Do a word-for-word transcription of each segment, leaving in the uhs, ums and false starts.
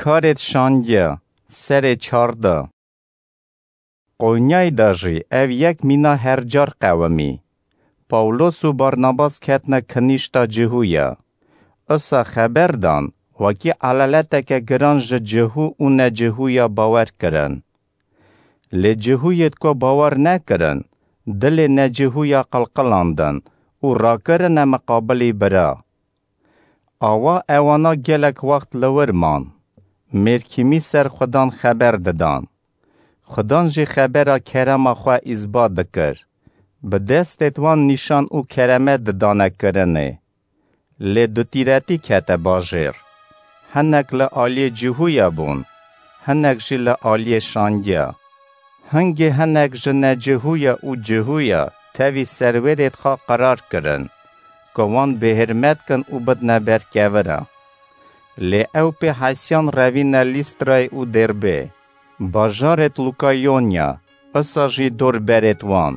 Karêt şandiya, serê çarda. Qonyayê de jî ev yek mîna her car qewimî. Pawlos û Barnabas ketine kinîşta Cihûya. Usa xeber dan, wekî elaleteke giran ji Cihû û Necihûya bawer kirin. Lê Cihûyê ku bawer nekirin, dilê Necihûya qilqilandin û rakirine miqabilî bira. Awa ewana gelek wext li wir man. Mêrkîmî ser Xudan xeber didan. Xudan jî xebera kerema xwe îsbat dikir. Bi destêt wan nîşan û kereme didane kirinê. Lê dutîretî kete bajêr. Hinek li aliyê Cihûya bûn, hinek jî li aliyê şandiya. Hingê hinek ji Necihûya û Cihûya tevî serwêrêt xwe qerar kirin, ku wan bêhirmet kin û bidne ber kevira. Lê ew pê hesiyan revîne Lîstrayê û Dêrbê, bajarêt Lûkayonya, usa jî dorberêt wan.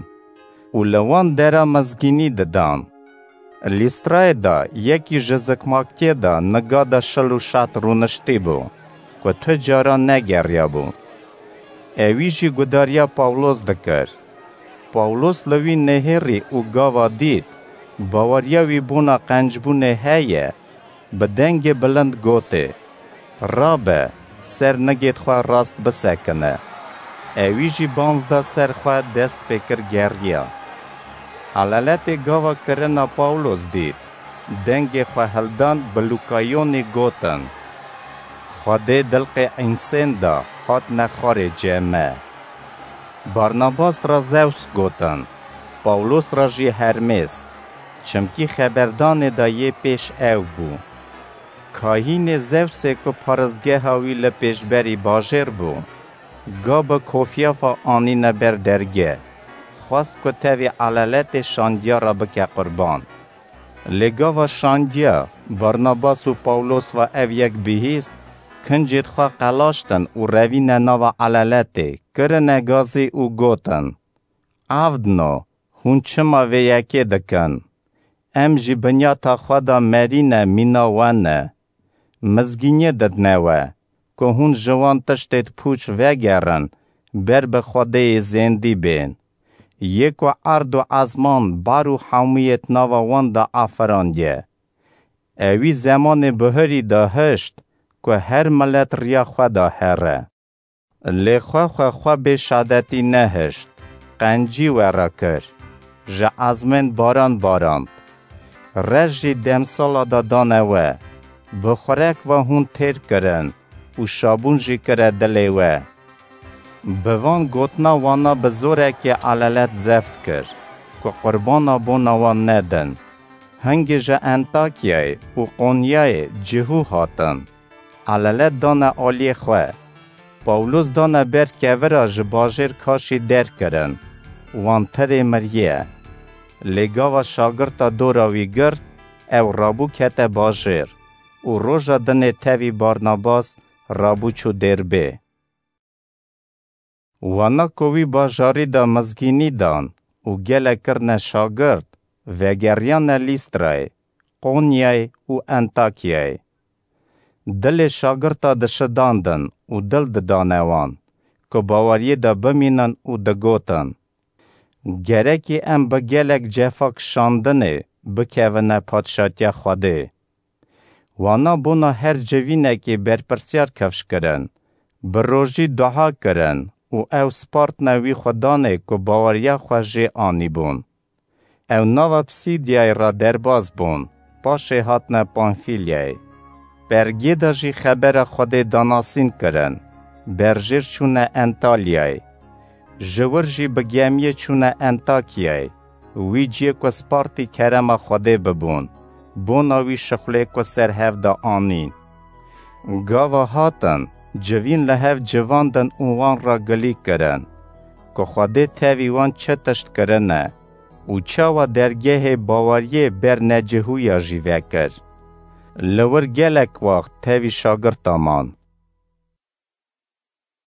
Û li wan dera mizgînî didan. Lîstrayê de yekî ji zikmakiyê de niga de şil û şat rûniştî bû, ku tu cara negeriyabû. Ewî jî gudariya Pawlos dikir. Pawlos li wî nihêrî û gava dît, baweriya wî bona qencbûnê heye, bi dengê bilind gotê, "Rabe, ser nigêt xwe rast bisekine." Ewî jî banz da ser xwe, dest pê kir geriya. Elaletê gava kirina Pawlos dît, dengê xwe hildan, bi Lûkayonê gotin, "Xwedê dilqê însên da, hatine xwarê cem me." Barnabas ra Zews gotin, Pawlos ra jî Hermês, çimkî xeberdanê de yê pêş ew bû. Kahînê Zewsê ku paristgeha wî li pêşberî bajêr bû, ga bi kofiyafa anîne ber dergeh, xwest ku tevî elaletê şandiya re bike qurban. Lê gava şandiya, Barnabas û Pawlos ve ev yek bihîst, kincêt xwe qelaştin û revîne nava elaletê, kirine gazî û gotin, "Evdno, hûn çima vê yekê dikin? Em jî binyata xwe de merîne mîna we ne. Mizgîniyê didne we, ku hûn ji wan tiştêt pûç vegerin, ber bi Xwedêyê zêndî bên. Yê ku erd û ezman, bar û hemûyêt nava wan de afirandiye." Ewî zemanê bihurî de hişt, ku her milet riya xwe de here. Lê xwe xwe xwe bê şadetî nehişt, qencî we re kir, ji ezmên baran barand. Reş jî demsala de dane we, bi xurek ve hûn têr kirin û şabûn jî kire dilê we. Bi van gotina wana bi zorekê elalet zeft kir, ku qurbana bona wan nedin. Hingê ji Entakyayê û Qonyayê Cihû hatin. Elalet dane aliyê xwe. Pawlos dane ber kevira ji bajêr kaşî derkirin. Wan tirê miriye. Lê gava şagirta dora wî girt, ew rabû kete bajêr û roja dinê tevî Barnabas rabû çû Dêrbê. Wana ku wî bajarî de mizgînî dan û gelek kirine şagirt, vegeriyane Lîstrayê, Qonyayê û Entakyayê. Dilê şagirta dişidandin û dil didane wan, ku baweriyê de bimînin û digotin, "Gerekî em bi gelek cefa kişandinê bikevine padşatiya Xwedê." Wana bona her civînekê berpirsiyar kifş kirin, bi rojî dua kirin û ew spartine wî Xudanê ku baweriya xwe jê anîbûn. Ew nava Psîdiyayê re derbas bûn, paşê hatine Pamfîlyayê. Pergê de jî xebera Xwedê danasîn kirin, berjêr çûne Entalyayê. Ji wir jî bi gemiyê çûne Entakyayê, wî ciyê ku spartî kerema Xwedê bibûn, bona wî şixulê ku ser hev de anîn. Gava hatin, civîn li hev civandin û wan re gilî kirin, ku Xwedê tevî wan çi tişt kirine û çawa dergehê baweriyê ber Necihûya jî vekir. Li wir gelek wext tevî şagirta man.